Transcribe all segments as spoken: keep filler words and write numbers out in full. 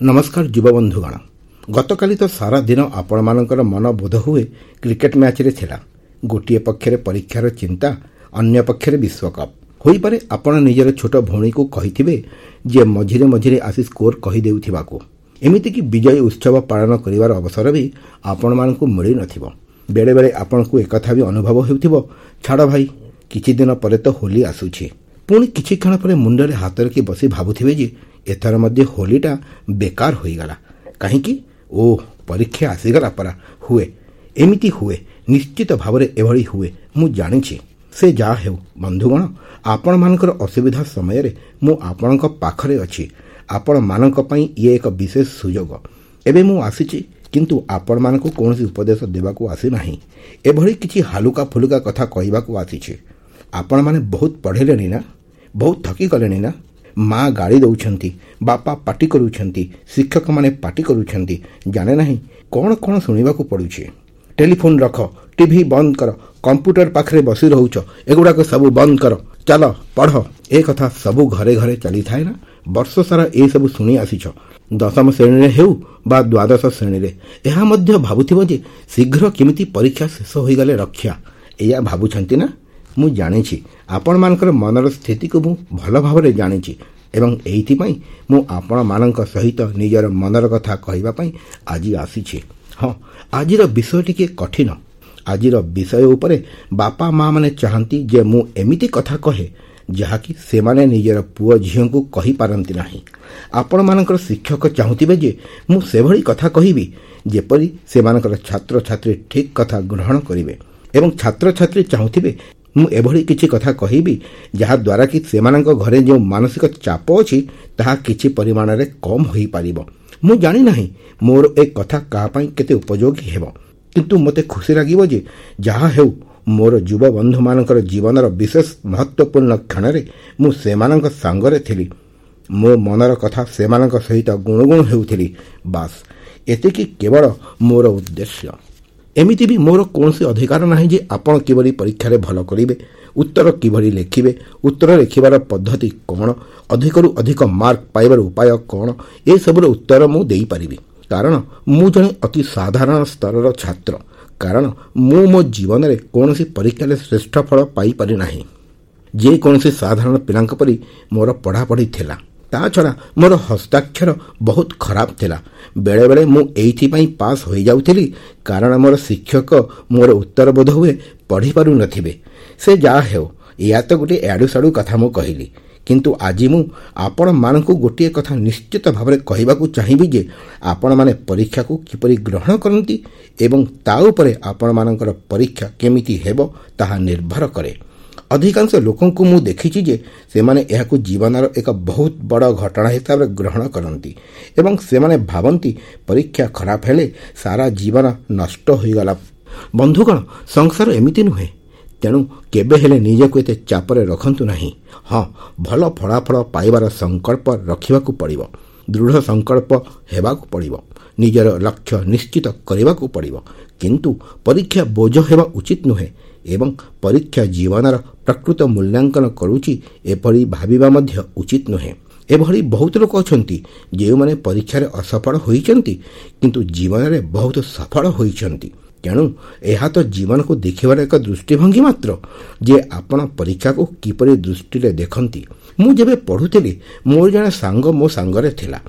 ନମସ୍କାର ଯୁବବନ୍ଧୁଗଣ। ଗତକାଲି ତ ସାରା ଦିନ ଆପଣମାନଙ୍କର ମନ ବୋଧ ହୁଏ କ୍ରିକେଟ୍ ମ୍ୟାଚ୍ରେ ଥିଲା। ଗୋଟିଏ ପକ୍ଷରେ ପରୀକ୍ଷାର ଚିନ୍ତା, ଅନ୍ୟ ପକ୍ଷରେ ବିଶ୍ୱକପ୍। ହୋଇପାରେ ଆପଣ ନିଜର ଛୋଟ ଭଉଣୀକୁ କହିଥିବେ ଯେ ମଝିରେ ମଝିରେ ଆସି ସ୍କୋର କହିଦେଉଥିବାକୁ। ଏମିତିକି ବିଜୟୀ ଉତ୍ସବ ପାଳନ କରିବାର ଅବସର ବି ଆପଣମାନଙ୍କୁ ମିଳିନଥିବ। ବେଳେବେଳେ ଆପଣଙ୍କୁ ଏକଥା ବି ଅନୁଭବ ହେଉଥିବ, ଛାଡ଼ ଭାଇ, କିଛି ଦିନ ପରେ ତ ହୋଲି ଆସୁଛି। ପୁଣି କିଛି କ୍ଷଣ ପରେ ମୁଣ୍ଡରେ ହାତ ରଖି ବସି ଭାବୁଥିବେ ଯେ ଏଥର ମଧ୍ୟ ହୋଲିଟା ବେକାର ହୋଇଗଲା କାହିଁକି? ଓ, ପରୀକ୍ଷା ଆସିଗଲା ପରା। ହୁଏ, ଏମିତି ହୁଏ, ନିଶ୍ଚିତ ଭାବରେ ଏଭଳି ହୁଏ, ମୁଁ ଜାଣିଛି। ସେ ଯାହା ହେଉ ବନ୍ଧୁଗଣ, ଆପଣମାନଙ୍କର ଅସୁବିଧା ସମୟରେ ମୁଁ ଆପଣଙ୍କ ପାଖରେ ଅଛି। ଆପଣମାନଙ୍କ ପାଇଁ ଇଏ ଏକ ବିଶେଷ ସୁଯୋଗ। ଏବେ ମୁଁ ଆସିଛି, କିନ୍ତୁ ଆପଣମାନଙ୍କୁ କୌଣସି ଉପଦେଶ ଦେବାକୁ ଆସିନାହିଁ। ଏଭଳି କିଛି ହାଲୁକା ଫୁଲୁକା କଥା କହିବାକୁ ଆସିଛି। ଆପଣମାନେ ବହୁତ ପଢ଼ିଲେଣି ନା? ବହୁତ ଥକିଗଲେଣି ନା? ମା ଗାଳି ଦେଉଛନ୍ତି, ବାପା ପାଟି କରୁଛନ୍ତି, ଶିକ୍ଷକମାନେ ପାଟି କରୁଛନ୍ତି, ଜାଣେ ନାହିଁ କ'ଣ କ'ଣ ଶୁଣିବାକୁ ପଡ଼ୁଛି। ଟେଲିଫୋନ୍ ରଖ, ଟିଭି ବନ୍ଦ କର, କମ୍ପ୍ୟୁଟର ପାଖରେ ବସି ରହୁଛ, ଏଗୁଡ଼ାକ ସବୁ ବନ୍ଦ କର, ଚାଲ ପଢ଼। ଏ କଥା ସବୁ ଘରେ ଘରେ ଚାଲିଥାଏ ନା? ବର୍ଷ ସାରା ଏସବୁ ଶୁଣି ଆସିଛ। ଦଶମ ଶ୍ରେଣୀରେ ହେଉ ବା ଦ୍ୱାଦଶ ଶ୍ରେଣୀରେ ଏହା ମଧ୍ୟ ଭାବୁଥିବ ଯେ ଶୀଘ୍ର କେମିତି ପରୀକ୍ଷା ଶେଷ ହୋଇଗଲେ ରକ୍ଷା, ଏଇଆ ଭାବୁଛନ୍ତି ନା? ମୁଁ ଜାଣିଛି, ଆପଣମାନଙ୍କର ମନର ସ୍ଥିତିକୁ ମୁଁ ଭଲ ଭାବରେ ଜାଣିଛି ଏବଂ ଏଇଥିପାଇଁ ମୁଁ ଆପଣମାନଙ୍କ ସହିତ ନିଜର ମନର କଥା କହିବା ପାଇଁ ଆଜି ଆସିଛି। ହଁ, ଆଜିର ବିଷୟ ଟିକିଏ କଠିନ। ଆଜିର ବିଷୟ ଉପରେ ବାପା ମାଆମାନେ ଚାହାନ୍ତି ଯେ ମୁଁ ଏମିତି କଥା କହେ ଯାହାକି ସେମାନେ ନିଜର ପୁଅ ଝିଅଙ୍କୁ କହିପାରନ୍ତି ନାହିଁ। ଆପଣମାନଙ୍କର ଶିକ୍ଷକ ଚାହୁଁଥିବେ ଯେ ମୁଁ ସେଭଳି କଥା କହିବି ଯେପରି ସେମାନଙ୍କର ଛାତ୍ରଛାତ୍ରୀ ଠିକ୍ କଥା ଗ୍ରହଣ କରିବେ, ଏବଂ ଛାତ୍ରଛାତ୍ରୀ ଚାହୁଁଥିବେ ମୁଁ ଏଭଳି କିଛି କଥା କହିବି ଯାହାଦ୍ୱାରା କି ସେମାନଙ୍କ ଘରେ ଯେଉଁ ମାନସିକ ଚାପ ଅଛି ତାହା କିଛି ପରିମାଣରେ କମ୍ ହୋଇପାରିବ। ମୁଁ ଜାଣିନାହିଁ ମୋର ଏ କଥା କାହା ପାଇଁ କେତେ ଉପଯୋଗୀ ହେବ, କିନ୍ତୁ ମୋତେ ଖୁସି ଲାଗିବ ଯେ ଯାହା ହେଉ ମୋର ଯୁବବନ୍ଧୁମାନଙ୍କର ଜୀବନର ବିଶେଷ ମହତ୍ତ୍ୱପୂର୍ଣ୍ଣ କ୍ଷଣରେ ମୁଁ ସେମାନଙ୍କ ସାଙ୍ଗରେ ଥିଲି। ମୋ ମନର କଥା ସେମାନଙ୍କ ସହିତ ଗୁଣୁଗୁଣୁ ହେଉଥିଲି। ବାସ୍, ଏତିକି କେବଳ ମୋର ଉଦ୍ଦେଶ୍ୟ। ଏମିତି ବି ମୋର କୌଣସି ଅଧିକାର ନାହିଁ ଯେ ଆପଣ କିଭଳି ପରୀକ୍ଷାରେ ଭଲ କରିବେ, ଉତ୍ତର କିଭଳି ଲେଖିବେ, ଉତ୍ତର ଲେଖିବାର ପଦ୍ଧତି କ'ଣ, ଅଧିକରୁ ଅଧିକ ମାର୍କ ପାଇବାର ଉପାୟ କ'ଣ, ଏସବୁର ଉତ୍ତର ମୁଁ ଦେଇପାରିବି। କାରଣ ମୁଁ ଜଣେ ଅତି ସାଧାରଣ ସ୍ତରର ଛାତ୍ର। କାରଣ ମୁଁ ମୋ ଜୀବନରେ କୌଣସି ପରୀକ୍ଷାରେ ଶ୍ରେଷ୍ଠ ଫଳ ପାଇପାରି ନାହିଁ। ଯେକୌଣସି ସାଧାରଣ ପିଲାଙ୍କ ପରି ମୋର ପଢ଼ାପଢ଼ି ଥିଲା। ତା ଛଡ଼ା ମୋର ହସ୍ତାକ୍ଷର ବହୁତ ଖରାପ ଥିଲା। ବେଳେବେଳେ ମୁଁ ଏଇଥିପାଇଁ ପାସ୍ ହୋଇଯାଉଥିଲି କାରଣ ମୋର ଶିକ୍ଷକ ମୋର ଉତ୍ତର ବୋଧ ହୁଏ ପଢ଼ିପାରୁନଥିବେ। ସେ ଯାହା ହେଉ, ଏହା ତ ଗୋଟିଏ ଏଆଡ଼ୁ ସାଡ଼ୁ କଥା ମୁଁ କହିଲି, କିନ୍ତୁ ଆଜି ମୁଁ ଆପଣମାନଙ୍କୁ ଗୋଟିଏ କଥା ନିଶ୍ଚିତ ଭାବରେ କହିବାକୁ ଚାହିଁବି ଯେ ଆପଣମାନେ ପରୀକ୍ଷାକୁ କିପରି ଗ୍ରହଣ କରନ୍ତି ଏବଂ ତା ଉପରେ ଆପଣମାନଙ୍କର ପରୀକ୍ଷା କେମିତି ହେବ ତାହା ନିର୍ଭର କରେ। ଅଧିକାଂଶ ଲୋକଙ୍କୁ ମୁଁ ଦେଖିଛି ଯେ ସେମାନେ ଏହାକୁ ଜୀବନର ଏକ ବହୁତ ବଡ଼ ଘଟଣା ହିସାବରେ ଗ୍ରହଣ କରନ୍ତି ଏବଂ ସେମାନେ ଭାବନ୍ତି ପରୀକ୍ଷା ଖରାପ ହେଲେ ସାରା ଜୀବନ ନଷ୍ଟ ହୋଇଗଲା। ବନ୍ଧୁଗଣ, ସଂସାର ଏମିତି ନୁହେଁ। ତେଣୁ କେବେ ହେଲେ ନିଜକୁ ଏତେ ଚାପରେ ରଖନ୍ତୁ ନାହିଁ। ହଁ, ଭଲ ଫଳାଫଳ ପାଇବାର ସଂକଳ୍ପ ରଖିବାକୁ ପଡ଼ିବ, ଦୃଢ଼ ସଂକଳ୍ପ ହେବାକୁ ପଡ଼ିବ, ନିଜର ଲକ୍ଷ୍ୟ ନିଶ୍ଚିତ କରିବାକୁ ପଡ଼ିବ। କିନ୍ତୁ ପରୀକ୍ଷା ବୋଝ ହେବା ଉଚିତ ନୁହେଁ ଏବଂ ପରୀକ୍ଷା ଜୀବନର ପ୍ରକୃତ ମୂଲ୍ୟାଙ୍କନ କରୁଛି ଏପରି ଭାବିବା ମଧ୍ୟ ଉଚିତ ନୁହେଁ। ଏଭଳି ବହୁତ ଲୋକ ଅଛନ୍ତି ଯେଉଁମାନେ ପରୀକ୍ଷାରେ ଅସଫଳ ହୋଇଛନ୍ତି କିନ୍ତୁ ଜୀବନରେ ବହୁତ ସଫଳ ହୋଇଛନ୍ତି। ତେଣୁ ଏହା ତ ଜୀବନକୁ ଦେଖିବାର ଏକ ଦୃଷ୍ଟିଭଙ୍ଗୀ ମାତ୍ର ଯେ ଆପଣ ପରୀକ୍ଷାକୁ କିପରି ଦୃଷ୍ଟିରେ ଦେଖନ୍ତି। ମୁଁ ଯେବେ ପଢ଼ୁଥିଲି ମୋର ଜଣେ ସାଙ୍ଗ ମୋ ସାଙ୍ଗରେ ଥିଲା,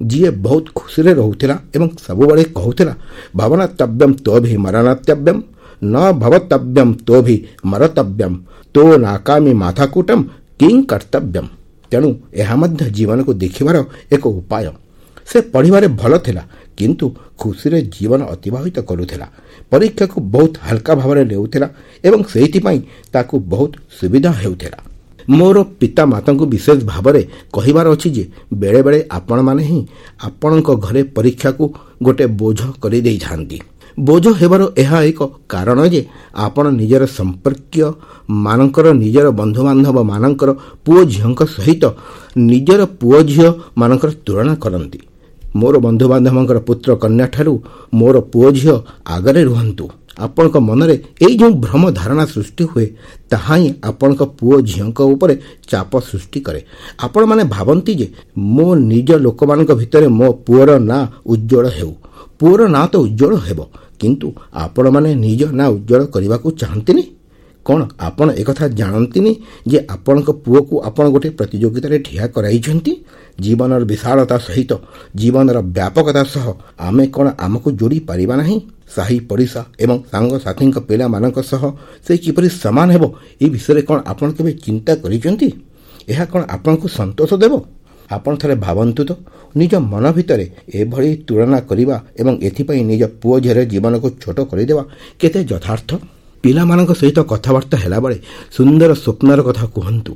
ଯିଏ ବହୁତ ଖୁସିରେ ରହୁଥିଲା ଏବଂ ସବୁବେଳେ କହୁଥିଲା, ଭବନତବ୍ୟମ ତୋ ଭି ମରଣତବ୍ୟମ, ନ ଭବତବ୍ୟମ ତୋ ଭି ମରତବ୍ୟମ, ତୋ ନାକାମି ମାଥାକୂଟମ କିଂ କର୍ତ୍ତବ୍ୟମ। ତେଣୁ ଏହା ମଧ୍ୟ ଜୀବନକୁ ଦେଖିବାର ଏକ ଉପାୟ। ସେ ପଢ଼ିବାରେ ଭଲ ଥିଲା କିନ୍ତୁ ଖୁସିରେ ଜୀବନ ଅତିବାହିତ କରୁଥିଲା। ପରୀକ୍ଷାକୁ ବହୁତ ହାଲକା ଭାବରେ ନେଉଥିଲା ଏବଂ ସେଇଥିପାଇଁ ତାକୁ ବହୁତ ସୁବିଧା ହେଉଥିଲା। ମୋର ପିତାମାତାଙ୍କୁ ବିଶେଷ ଭାବରେ କହିବାର ଅଛି ଯେ ବେଳେବେଳେ ଆପଣମାନେ ହିଁ ଆପଣଙ୍କ ଘରେ ପରୀକ୍ଷାକୁ ଗୋଟେ ବୋଝ କରିଦେଇଥାନ୍ତି। ବୋଝ ହେବାର ଏହା ଏକ କାରଣ ଯେ ଆପଣ ନିଜର ସମ୍ପର୍କୀୟ ମାନଙ୍କର, ନିଜର ବନ୍ଧୁବାନ୍ଧବ ମାନଙ୍କର ପୁଅ ଝିଅଙ୍କ ସହିତ ନିଜର ପୁଅ ଝିଅ ମାନଙ୍କର ତୁଳନା କରନ୍ତି। ମୋର ବନ୍ଧୁବାନ୍ଧବଙ୍କର ପୁତ୍ର କନ୍ୟାଠାରୁ ମୋର ପୁଅ ଝିଅ ଆଗରେ ରୁହନ୍ତୁ। ଆପଣଙ୍କ ମନରେ ଏଇ ଯେଉଁ ଭ୍ରମ ଧାରଣା ସୃଷ୍ଟି ହୁଏ, ତାହା ହିଁ ଆପଣଙ୍କ ପୁଅ ଝିଅଙ୍କ ଉପରେ ଚାପ ସୃଷ୍ଟି କରେ। ଆପଣମାନେ ଭାବନ୍ତି ଯେ ମୋ ନିଜ ଲୋକମାନଙ୍କ ଭିତରେ ମୋ ପୁଅର ନାଁ ଉଜ୍ଜ୍ୱଳ ହେଉ। ପୁଅର ନାଁ ତ ଉଜ୍ଜ୍ୱଳ ହେବ, କିନ୍ତୁ ଆପଣମାନେ ନିଜ ନାଁ ଉଜ୍ଜ୍ୱଳ କରିବାକୁ ଚାହାନ୍ତିନି। କ'ଣ ଆପଣ ଏକଥା ଜାଣନ୍ତିନି ଯେ ଆପଣଙ୍କ ପୁଅକୁ ଆପଣ ଗୋଟିଏ ପ୍ରତିଯୋଗିତାରେ ଠିଆ କରାଇଛନ୍ତି? ଜୀବନର ବିଶାଳତା ସହିତ, ଜୀବନର ବ୍ୟାପକତା ସହ ଆମେ କ'ଣ ଆମକୁ ଯୋଡ଼ି ପାରିବା ନାହିଁ? ସାହି ପଡ଼ିଶା ଏବଂ ସାଙ୍ଗସାଥୀଙ୍କ ପିଲାମାନଙ୍କ ସହ ସେ କିପରି ସମାନ ହେବ, ଏ ବିଷୟରେ କ'ଣ ଆପଣ କେବେ ଚିନ୍ତା କରିଛନ୍ତି? ଏହା କ'ଣ ଆପଣଙ୍କୁ ସନ୍ତୋଷ ଦେବ? ଆପଣ ଥରେ ଭାବନ୍ତୁ ତ, ନିଜ ମନ ଭିତରେ ଏଭଳି ତୁଳନା କରିବା ଏବଂ ଏଥିପାଇଁ ନିଜ ପୁଅ ଝିଅର ଜୀବନକୁ ଛୋଟ କରିଦେବା କେତେ ଯଥାର୍ଥ? ପିଲାମାନଙ୍କ ସହିତ କଥାବାର୍ତ୍ତା ହେଲାବେଳେ ସୁନ୍ଦର ସ୍ୱପ୍ନର କଥା କୁହନ୍ତୁ,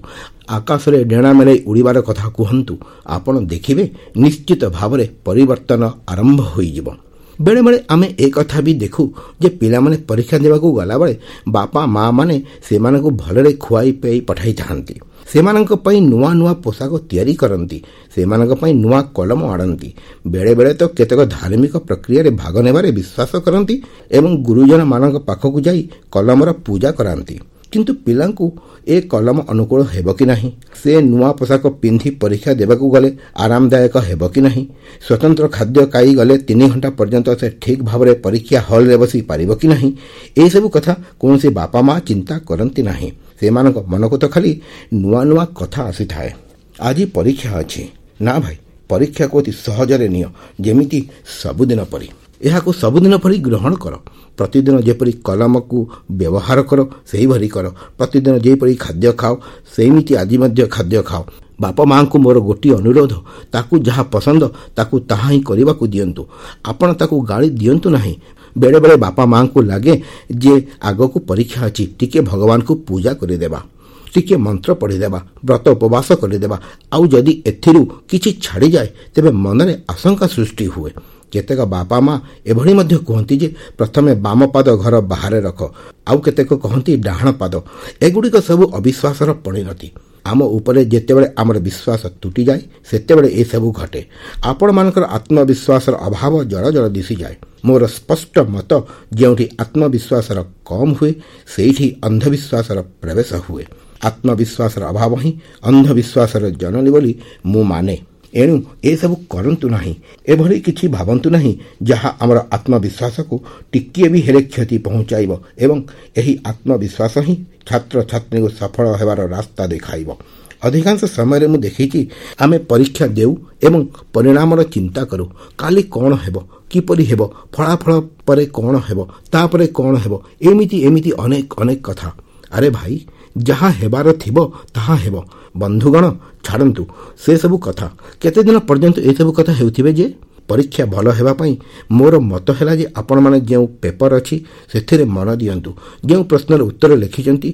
ଆକାଶରେ ଡେଣା ମେଲାଇ ଉଡ଼ିବାର କଥା କୁହନ୍ତୁ। ଆପଣ ଦେଖିବେ ନିଶ୍ଚିତ ଭାବରେ ପରିବର୍ତ୍ତନ ଆରମ୍ଭ ହୋଇଯିବ। ବେଳେବେଳେ ଆମେ ଏକଥା ବି ଦେଖୁ ଯେ ପିଲାମାନେ ପରୀକ୍ଷା ଦେବାକୁ ଗଲାବେଳେ ବାପା ମା ମାନେ ସେମାନଙ୍କୁ ଭଲରେ ଖୁଆଇ ପିଆଇ ପଠାଇଥାନ୍ତି, ସେମାନଙ୍କ ପାଇଁ ନୂଆ ନୂଆ ପୋଷାକ ତିଆରି କରନ୍ତି, ସେମାନଙ୍କ ପାଇଁ ନୂଆ କଲମ ଆଣନ୍ତି। ବେଳେବେଳେ ତ କେତେକ ଧାର୍ମିକ ପ୍ରକ୍ରିୟାରେ ଭାଗ ନେବାରେ ବିଶ୍ୱାସ କରନ୍ତି ଏବଂ ଗୁରୁଜନମାନଙ୍କ ପାଖକୁ ଯାଇ କଲମର ପୂଜା କରାନ୍ତି। କିନ୍ତୁ ପିଲାଙ୍କୁ ଏ କଲମ ଅନୁକୂଳ ହେବ କି ନାହିଁ? ସେ ନୂଆ ପୋଷାକ ପିନ୍ଧି ପରୀକ୍ଷା ଦେବାକୁ ଗଲେ ଆରାମଦାୟକ ହେବ କି ନାହିଁ? ସ୍ୱତନ୍ତ୍ର ଖାଦ୍ୟ ଖାଇ ଗଲେ ତିନି ଘଣ୍ଟା ପର୍ଯ୍ୟନ୍ତ ସେ ଠିକ୍ ଭାବରେ ପରୀକ୍ଷା ହଲ୍ରେ ବସି ପାରିବ କି ନାହିଁ? ଏସବୁ କଥା କୌଣସି ବାପା ମା ଚିନ୍ତା କରନ୍ତି ନାହିଁ। ସେମାନଙ୍କ ମନକୁ ତ ଖାଲି ନୂଆ ନୂଆ କଥା ଆସିଥାଏ। ଆଜି ପରୀକ୍ଷା ଅଛି ନା ଭାଇ, ପରୀକ୍ଷାକୁ ଅତି ସହଜରେ ନିଅ, ଯେମିତି ସବୁଦିନ ପରି। ଏହାକୁ ସବୁଦିନ ପରି ଗ୍ରହଣ କର। ପ୍ରତିଦିନ ଯେପରି କଲମକୁ ବ୍ୟବହାର କର ସେହିଭଳି କର। ପ୍ରତିଦିନ ଯେପରି ଖାଦ୍ୟ ଖାଅ ସେମିତି ଆଜି ମଧ୍ୟ ଖାଦ୍ୟ ଖାଅ। ବାପା ମାଆଙ୍କୁ ମୋର ଗୋଟିଏ ଅନୁରୋଧ, ତାକୁ ଯାହା ପସନ୍ଦ ତାକୁ ତାହା ହିଁ କରିବାକୁ ଦିଅନ୍ତୁ। ଆପଣ ତାକୁ ଗାଳି ଦିଅନ୍ତୁ ନାହିଁ। ବେଳେବେଳେ ବାପା ମାଆଙ୍କୁ ଲାଗେ ଯେ ଆଗକୁ ପରୀକ୍ଷା ଅଛି, ଟିକେ ଭଗବାନଙ୍କୁ ପୂଜା କରିଦେବା, ଟିକେ ମନ୍ତ୍ର ପଢ଼ିଦେବା, ବ୍ରତ ଉପବାସ କରିଦେବା। ଆଉ ଯଦି ଏଥିରୁ କିଛି ଛାଡ଼ିଯାଏ ତେବେ ମନରେ ଆଶଙ୍କା ସୃଷ୍ଟି ହୁଏ। କେତେକ ବାପା ମା ଏଭଳି ମଧ୍ୟ କୁହନ୍ତି ଯେ ପ୍ରଥମେ ବାମ ପାଦ ଘର ବାହାରେ ରଖ, ଆଉ କେତେକ କହନ୍ତି ଡାହାଣ ପାଦ। ଏଗୁଡ଼ିକ ସବୁ ଅବିଶ୍ୱାସର ପରିଣତି। ଆମ ଉପରେ ଯେତେବେଳେ ଆମର ବିଶ୍ୱାସ ତୁଟିଯାଏ ସେତେବେଳେ ଏସବୁ ଘଟେ। ଆପଣମାନଙ୍କର ଆତ୍ମବିଶ୍ୱାସର ଅଭାବ ଜଳ ଜଳ ଦିଶିଯାଏ। ମୋର ସ୍ପଷ୍ଟ ମତ, ଯେଉଁଠି ଆତ୍ମବିଶ୍ୱାସର କମ୍ ହୁଏ ସେଇଠି ଅନ୍ଧବିଶ୍ୱାସର ପ୍ରବେଶ ହୁଏ। ଆତ୍ମବିଶ୍ୱାସର ଅଭାବ ହିଁ ଅନ୍ଧବିଶ୍ୱାସର ଜନନୀ ବୋଲି ମୁଁ ମାନେ। ଏଣୁ ଏସବୁ କରନ୍ତୁ ନାହିଁ, ଏଭଳି କିଛି ଭାବନ୍ତୁ ନାହିଁ ଯାହା ଆମର ଆତ୍ମବିଶ୍ୱାସକୁ ଟିକିଏ ବି ହେଲେ କ୍ଷତି ପହଞ୍ଚାଇବ ଏବଂ ଏହି ଆତ୍ମବିଶ୍ୱାସ ହିଁ ଛାତ୍ରଛାତ୍ରୀଙ୍କୁ ସଫଳ ହେବାର ରାସ୍ତା ଦେଖାଇବ। ଅଧିକାଂଶ ସମୟରେ ମୁଁ ଦେଖିଛି ଆମେ ପରୀକ୍ଷା ଦେଉ ଏବଂ ପରିଣାମର ଚିନ୍ତା କରୁ। କାଲି କ'ଣ ହେବ, କିପରି ହେବ, ଫଳାଫଳ ପରେ କ'ଣ ହେବ, ତାପରେ କ'ଣ ହେବ, ଏମିତି ଏମିତି ଅନେକ ଅନେକ କଥା। ଆରେ ଭାଇ, ଯାହା ହେବାର ଥିବ ତାହା ହେବ। ବନ୍ଧୁଗଣ, ଛାଡ଼ନ୍ତୁ ସେସବୁ କଥା। କେତେଦିନ ପର୍ଯ୍ୟନ୍ତ ଏସବୁ କଥା ହେଉଥିବେ ଯେ? ପରୀକ୍ଷା ଭଲ ହେବା ପାଇଁ ମୋର ମତ ହେଲା ଯେ ଆପଣମାନେ ଯେଉଁ ପେପର ଅଛି ସେଥିରେ ମନ ଦିଅନ୍ତୁ। ଯେଉଁ ପ୍ରଶ୍ନର ଉତ୍ତର ଲେଖିଛନ୍ତି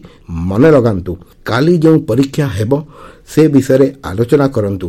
ମନେ ଲଗାନ୍ତୁ। କାଲି ଯେଉଁ ପରୀକ୍ଷା ହେବ ସେ ବିଷୟରେ ଆଲୋଚନା କରନ୍ତୁ।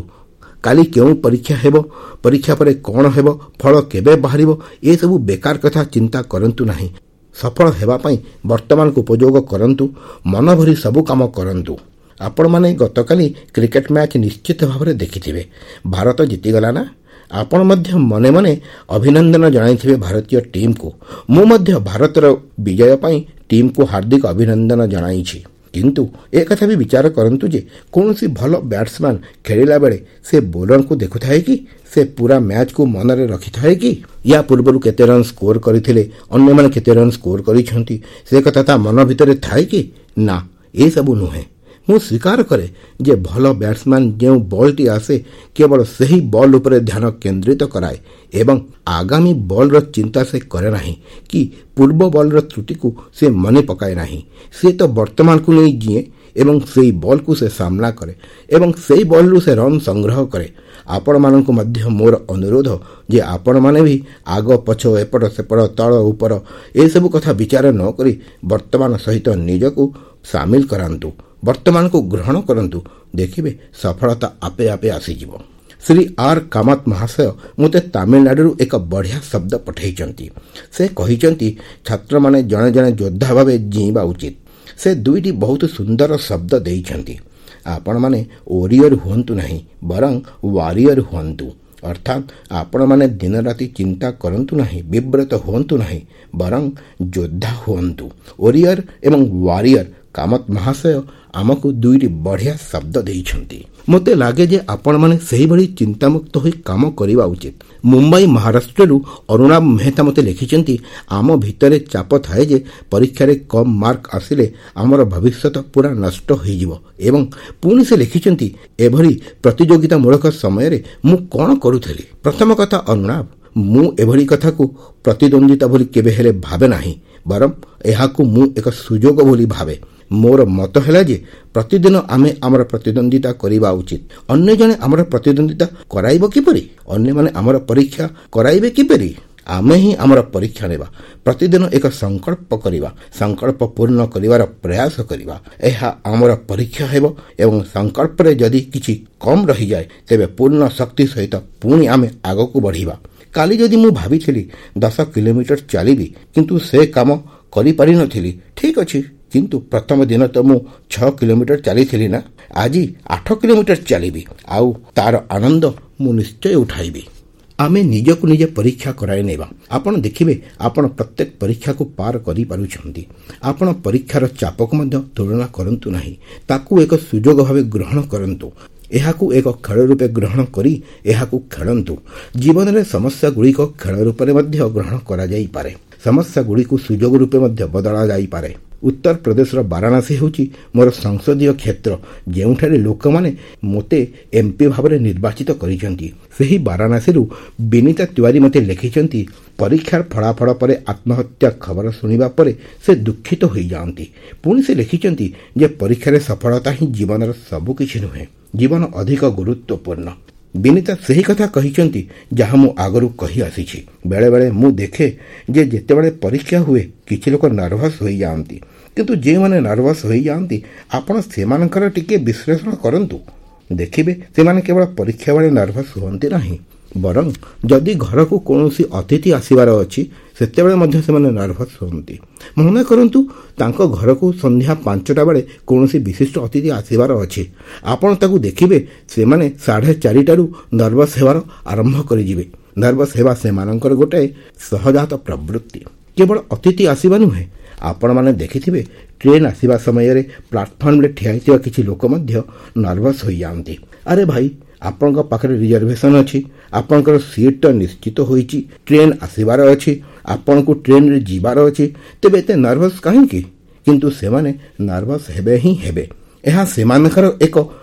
କାଲି କେଉଁ ପରୀକ୍ଷା ହେବ, ପରୀକ୍ଷା ପରେ କ'ଣ ହେବ, ଫଳ କେବେ ବାହାରିବ, ଏସବୁ ବେକାର କଥା ଚିନ୍ତା କରନ୍ତୁ ନାହିଁ। ସଫଳ ହେବା ପାଇଁ ବର୍ତ୍ତମାନକୁ ଉପଯୋଗ କରନ୍ତୁ। ମନ ଭରି ସବୁ କାମ କରନ୍ତୁ। ଆପଣମାନେ ଗତକାଲି କ୍ରିକେଟ ମ୍ୟାଚ୍ ନିଶ୍ଚିତ ଭାବରେ ଦେଖିଥିବେ। ଭାରତ ଜିତିଗଲା ନା? ଆପଣ ମଧ୍ୟ ମନେ ମନେ ଅଭିନନ୍ଦନ ଜଣାଇଥିବେ ଭାରତୀୟ ଟିମ୍କୁ। ମୁଁ ମଧ୍ୟ ଭାରତର ବିଜୟ ପାଇଁ ଟିମ୍କୁ ହାର୍ଦ୍ଦିକ ଅଭିନନ୍ଦନ ଜଣାଇଛି। କିନ୍ତୁ ଏକଥା ବି ବିଚାର କରନ୍ତୁ ଯେ କୌଣସି ଭଲ ବ୍ୟାଟ୍ସମ୍ୟାନ୍ ଖେଳିଲା ବେଳେ ସେ ବୋଲରଙ୍କୁ ଦେଖୁଥାଏ କି? ସେ ପୁରା ମ୍ୟାଚ୍କୁ ମନରେ ରଖିଥାଏ କି? ୟା ପୂର୍ବରୁ କେତେ ରନ୍ ସ୍କୋର କରିଥିଲେ, ଅନ୍ୟମାନେ କେତେ ରନ୍ ସ୍କୋର କରିଛନ୍ତି, ସେ କଥା ତା ମନ ଭିତରେ ଥାଏ କି? ନା, ଏସବୁ ନୁହେଁ। ମୁଁ ସ୍ୱୀକାର କରେ ଯେ ଭଲ ବ୍ୟାଟ୍ସମ୍ୟାନ୍ ଯେଉଁ ବଲ୍ଟି ଆସେ କେବଳ ସେହି ବଲ୍ ଉପରେ ଧ୍ୟାନ କେନ୍ଦ୍ରିତ କରାଏ ଏବଂ ଆଗାମୀ ବଲ୍ର ଚିନ୍ତା ସେ କରେ ନାହିଁ କି ପୂର୍ବ ବଲ୍ର ତ୍ରୁଟିକୁ ସେ ମନେ ପକାଏ ନାହିଁ। ସେ ତ ବର୍ତ୍ତମାନକୁ ନେଇ ଜିଏଁ ଏବଂ ସେଇ ବଲ୍କୁ ସେ ସାମ୍ନା କରେ ଏବଂ ସେଇ ବଲ୍ରୁ ସେ ରନ୍ ସଂଗ୍ରହ କରେ। ଆପଣମାନଙ୍କୁ ମଧ୍ୟ ମୋର ଅନୁରୋଧ ଯେ ଆପଣମାନେ ବି ଆଗ ପଛ, ଏପଟ ସେପଟ, ତଳ ଉପର ଏସବୁ କଥା ବିଚାର ନ କରି ବର୍ତ୍ତମାନ ସହିତ ନିଜକୁ ସାମିଲ କରାନ୍ତୁ, ବର୍ତ୍ତମାନକୁ ଗ୍ରହଣ କରନ୍ତୁ। ଦେଖିବେ ସଫଳତା ଆପେ ଆପେ ଆସିଯିବ। ଶ୍ରୀ ଆର୍ କାମତ ମହାଶୟ ମୋତେ ତାମିଲନାଡୁରୁ ଏକ ବଢ଼ିଆ ଶବ୍ଦ ପଠାଇଛନ୍ତି। ସେ କହିଛନ୍ତି ଛାତ୍ରମାନେ ଜଣେ ଜଣେ ଯୋଦ୍ଧା ଭାବେ ଜିଇଁବା ଉଚିତ। ସେ ଦୁଇଟି ବହୁତ ସୁନ୍ଦର ଶବ୍ଦ ଦେଇଛନ୍ତି। ଆପଣମାନେ ଓରିୟର ହୁଅନ୍ତୁ ନାହିଁ, ବରଂ ୱାରିୟର ହୁଅନ୍ତୁ। ଅର୍ଥାତ୍ ଆପଣମାନେ ଦିନରାତି ଚିନ୍ତା କରନ୍ତୁ ନାହିଁ, ବିବ୍ରତ ହୁଅନ୍ତୁ ନାହିଁ, ବରଂ ଯୋଦ୍ଧା ହୁଅନ୍ତୁ। ଓରିୟର ଏବଂ ୱାରିୟର କାମତ ମହାଶୟ ଆମକୁ ଦୁଇଟି ବଢ଼ିଆ ଶବ୍ଦ ଦେଇଛନ୍ତି। ମୋତେ ଲାଗେ ଯେ ଆପଣମାନେ ସେହିଭଳି ଚିନ୍ତାମୁକ୍ତ ହୋଇ କାମ କରିବା ଉଚିତ। ମୁମ୍ବାଇ ମହାରାଷ୍ଟ୍ରରୁ ଅରୁଣାଭ ମେହତା ମୋତେ ଲେଖିଛନ୍ତି, ଆମ ଭିତରେ ଚାପ ଥାଏ ଯେ ପରୀକ୍ଷାରେ କମ୍ ମାର୍କ ଆସିଲେ ଆମର ଭବିଷ୍ୟତ ପୁରା ନଷ୍ଟ ହୋଇଯିବ। ଏବଂ ପୁଣି ସେ ଲେଖିଛନ୍ତି, ଏଭଳି ପ୍ରତିଯୋଗିତାମୂଳକ ସମୟରେ ମୁଁ କ'ଣ କରୁଥିଲି? ପ୍ରଥମ କଥା ଅରୁଣାଭ, ମୁଁ ଏଭଳି କଥାକୁ ପ୍ରତିଦ୍ୱନ୍ଦ୍ୱିତା ବୋଲି କେବେ ହେଲେ ଭାବେ ନାହିଁ, ବରଂ ଏହାକୁ ମୁଁ ଏକ ସୁଯୋଗ ବୋଲି ଭାବେ। ମୋର ମତ ହେଲା ଯେ ପ୍ରତିଦିନ ଆମେ ଆମର ପ୍ରତିଦ୍ୱନ୍ଦ୍ୱିତା କରିବା ଉଚିତ। ଅନ୍ୟ ଜଣେ ଆମର ପ୍ରତିଦ୍ୱନ୍ଦ୍ୱିତା କରାଇବ କିପରି? ଅନ୍ୟମାନେ ଆମର ପରୀକ୍ଷା କରାଇବେ କିପରି? ଆମେ ହିଁ ଆମର ପରୀକ୍ଷା ନେବା। ପ୍ରତିଦିନ ଏକ ସଂକଳ୍ପ କରିବା, ସଂକଳ୍ପ ପୂର୍ଣ୍ଣ କରିବାର ପ୍ରୟାସ କରିବା। ଏହା ଆମର ପରୀକ୍ଷା ହେବ ଏବଂ ସଂକଳ୍ପରେ ଯଦି କିଛି କମ୍ ରହିଯାଏ ତେବେ ପୂର୍ଣ୍ଣ ଶକ୍ତି ସହିତ ପୁଣି ଆମେ ଆଗକୁ ବଢ଼ିବା। କାଲି ଯଦି ମୁଁ ଭାବିଥିଲି ଦଶ କିଲୋମିଟର ଚାଲିବି, କିନ୍ତୁ ସେ କାମ କରିପାରିନଥିଲି, ଠିକ୍ ଅଛି, କିନ୍ତୁ ପ୍ରଥମ ଦିନ ତ ମୁଁ ଛଅ କିଲୋମିଟର ଚାଲିଥିଲି ନା, ଆଜି ଆଠ କିଲୋମିଟର ଚାଲିବି ଆଉ ତାର ଆନନ୍ଦ ମୁଁ ନିଶ୍ଚୟ ଉଠାଇବି। ଆମେ ନିଜକୁ ନିଜେ ପରୀକ୍ଷା କରାଇ ନେବା। ଆପଣ ଦେଖିବେ ଆପଣ ପ୍ରତ୍ୟେକ ପରୀକ୍ଷାକୁ ପାର କରିପାରୁଛନ୍ତି। ଆପଣ ପରୀକ୍ଷାର ଚାପକୁ ମଧ୍ୟ ତୁଳନା କରନ୍ତୁ ନାହିଁ, ତାକୁ ଏକ ସୁଯୋଗ ଭାବେ ଗ୍ରହଣ କରନ୍ତୁ। ଏହାକୁ ଏକ ଖେଳ ରୂପେ ଗ୍ରହଣ କରି ଏହାକୁ ଖେଳନ୍ତୁ। ଜୀବନରେ ସମସ୍ୟାଗୁଡ଼ିକ ଖେଳ ରୂପରେ ମଧ୍ୟ ଗ୍ରହଣ କରାଯାଇପାରେ, ସମସ୍ୟାଗୁଡ଼ିକୁ ସୁଯୋଗ ରୂପେ ମଧ୍ୟ ବଦଳା ଯାଇପାରେ। ଉତ୍ତରପ୍ରଦେଶର ବାରାଣାସୀ ହେଉଛି ମୋର ସଂସଦୀୟ କ୍ଷେତ୍ର, ଯେଉଁଠାରେ ଲୋକମାନେ ମୋତେ ଏମ୍ପି ଭାବରେ ନିର୍ବାଚିତ କରିଛନ୍ତି। ସେହି ବାରାଣାସୀରୁ ବିନୀତା ତିୱାରୀ ମୋତେ ଲେଖିଛନ୍ତି, ପରୀକ୍ଷାର ଫଳାଫଳ ପରେ ଆତ୍ମହତ୍ୟା ଖବର ଶୁଣିବା ପରେ ସେ ଦୁଃଖିତ ହୋଇଯାଆନ୍ତି। ପୁଣି ସେ ଲେଖିଛନ୍ତି ଯେ ପରୀକ୍ଷାରେ ସଫଳତା ହିଁ ଜୀବନର ସବୁକିଛି ନୁହେଁ, ଜୀବନ ଅଧିକ ଗୁରୁତ୍ୱପୂର୍ଣ୍ଣ। ବିନୀତା ସେହି କଥା କହିଛନ୍ତି ଯାହା ମୁଁ ଆଗରୁ କହି ଆସିଛି। ବେଳେବେଳେ ମୁଁ ଦେଖେ ଯେ ଯେତେବେଳେ ପରୀକ୍ଷା ହୁଏ କିଛି ଲୋକ ନର୍ଭସ୍ ହୋଇଯାଆନ୍ତି, କିନ୍ତୁ ଯେଉଁମାନେ ନର୍ଭସ୍ ହୋଇଯାଆନ୍ତି ଆପଣ ସେମାନଙ୍କର ଟିକିଏ ବିଶ୍ଳେଷଣ କରନ୍ତୁ, ଦେଖିବେ ସେମାନେ କେବଳ ପରୀକ୍ଷା ବେଳେ ନର୍ଭସ୍ ହୁଅନ୍ତି ନାହିଁ, ବରଂ ଯଦି ଘରକୁ କୌଣସି ଅତିଥି ଆସିବାର ଅଛି ସେତେବେଳେ ମଧ୍ୟ ସେମାନେ ନର୍ଭସ୍ ହୁଅନ୍ତି। ମନେ କରନ୍ତୁ ତାଙ୍କ ଘରକୁ ସନ୍ଧ୍ୟା ପାଞ୍ଚଟା ବେଳେ କୌଣସି ବିଶିଷ୍ଟ ଅତିଥି ଆସିବାର ଅଛି, ଆପଣ ତାକୁ ଦେଖିବେ ସେମାନେ ସାଢ଼େ ଚାରିଟାରୁ ନର୍ଭସ୍ ହେବାର ଆରମ୍ଭ କରିଯିବେ। ନର୍ଭସ୍ ହେବା ସେମାନଙ୍କର ଗୋଟାଏ ସହଜାତ ପ୍ରବୃତ୍ତି। କେବଳ ଅତିଥି ଆସିବା ନୁହେଁ, ଆପଣମାନେ ଦେଖିଥିବେ ଟ୍ରେନ୍ ଆସିବା ସମୟରେ ପ୍ଲାଟଫର୍ମରେ ଠିଆ ହୋଇଥିବା କିଛି ଲୋକ ମଧ୍ୟ ନର୍ଭସ୍ ହୋଇଯାଆନ୍ତି। ଆରେ ଭାଇ, ଆପଣଙ୍କ ପାଖରେ ରିଜର୍ଭେସନ୍ ଅଛି, ଆପଣଙ୍କର ସିଟ୍ ତ ନିଶ୍ଚିତ ହୋଇଛି, ଟ୍ରେନ୍ ଆସିବାର ଅଛି, ଆପଣଙ୍କୁ ଟ୍ରେନ୍ରେ ଯିବାର ଅଛି, ତେବେ ଏତେ ନର୍ଭସ୍ କାହିଁକି? କିନ୍ତୁ ସେମାନେ ନର୍ଭସ୍ ହେବେ ହିଁ ହେବେ। ଏହା ସେମାନଙ୍କର ଏକ